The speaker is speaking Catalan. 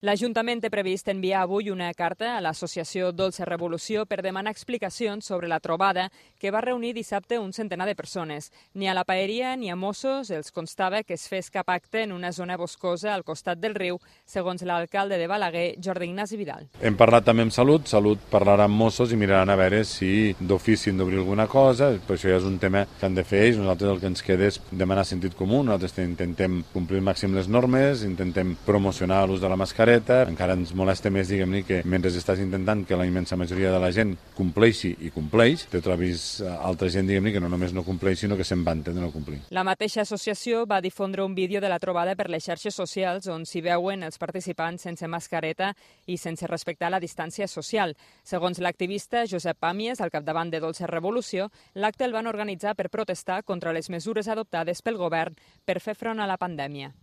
L'Ajuntament té previst enviar avui una carta a l'associació Dolça Revolució per demanar explicacions sobre la trobada que va reunir dissabte un centenar de persones. Ni a la paeria ni a Mossos els constava que es fes cap acte en una zona boscosa al costat del riu, segons l'alcalde de Balaguer, Jordi Ignasi Vidal. Hem parlat també amb Salut parlarà amb Mossos i miraran a veure si d'ofici han d'obrir alguna cosa, però això ja és un tema que han de fer ells. Nosaltres el que ens queda és demanar sentit comú, nosaltres intentem complir al màxim les normes, intentem promocionar l'ús de la mascareta. Encara ens molesta més, diguem-ne, que mentre estàs intentant que la immensa majoria de la gent compleixi i compleix, te trobis altra gent, diguem-ne, que no només no compleix, sinó que se'n vanta de no complir. La mateixa associació va difondre un vídeo de la trobada per les xarxes socials on s'hi veuen els participants sense mascareta i sense respectar la distància social. Segons l'activista Josep Pàmies, al capdavant de Dolça Revolució, l'acte el van organitzar per protestar contra les mesures adoptades pel govern per fer front a la pandèmia.